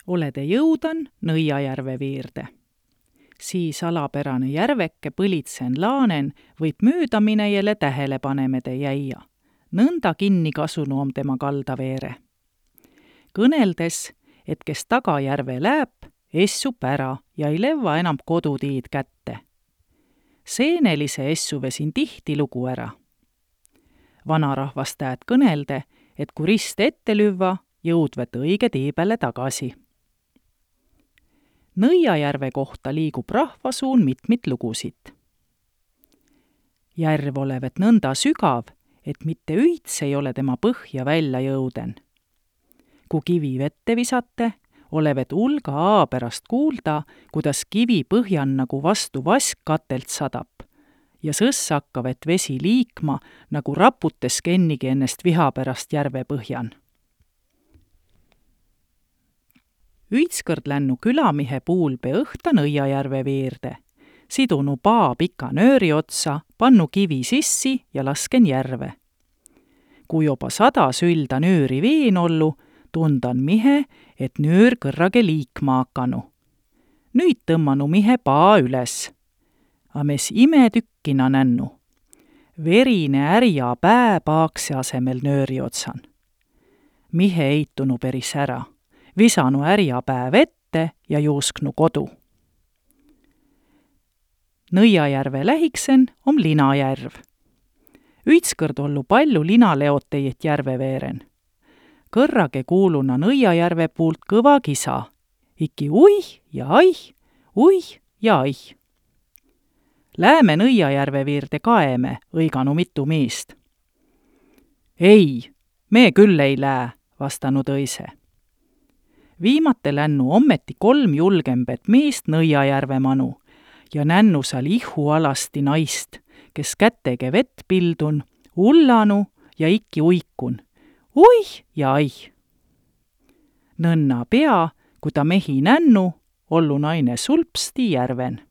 Olede jõudan Nõiajärve viirde. Siis alapärane järveke põlitsen laanen võib möödaminejale tähelepanemede jäia. Nõnda kinni kasunu om tema kaldaveere. Kõneldes, et kes Tagajärve läheb, essup ära ja ei levva enam kodutiid kätte. Seenelise essu vesin tihti lugu ära. Vanarahvas täät kõnelde, et kui rist ette lüvva, jõudvet õige tiibele tagasi. Nõiajärve kohta liigub rahvasuun mitmit lugusid. Järv olevat nõnda sügav, et mitte üits ei ole tema põhja välja jõuden. Kui kivi vette visate, olevat ulga aa pärast kuulda, kuidas kivi põhjan nagu vastu vask katelt sadab ja sõss hakkavat vesi liikma, nagu raputes kennigi ennest viha pärast järve põhjan. Üitskõrd lännu külamihe puulpe õhta Nõiajärve viirde, sidunu paa pika nööri otsa, pannu kivi sissi ja lasken järve. Kui joba 100 sülda nööri veen ollu, tundan mihe, et nöör kõrrage liikma hakanu. Nüüd tõmmanu mihe paa üles. A mes imetükkina nännu. Verine ärja pää paakse asemel nööri otsan. Mihe eitunu peris ära. Visanu ärja pää vette ja juusknu kodu. Nõiajärve lähiksen om Linajärv. Üitskõrd ollu palju linaleotejit järve veeren. Kõrrage kuuluna Nõiajärve puult kõva kisa. Iki uih ja aih. Lääme Nõiajärve viirde kaeme, õiganu mitu miist. Ei, me küll ei lää, vastanu tõise. Viimate lännu ommeti 3 julgembet miist Nõiajärve manu ja nännu seal ihu alasti naist, kes kätege vett pildun, ullanu ja ikki uikun. Uih ja aih. Nõnna pea, kui ta mehi nännu, ollu naine sulpsti järven.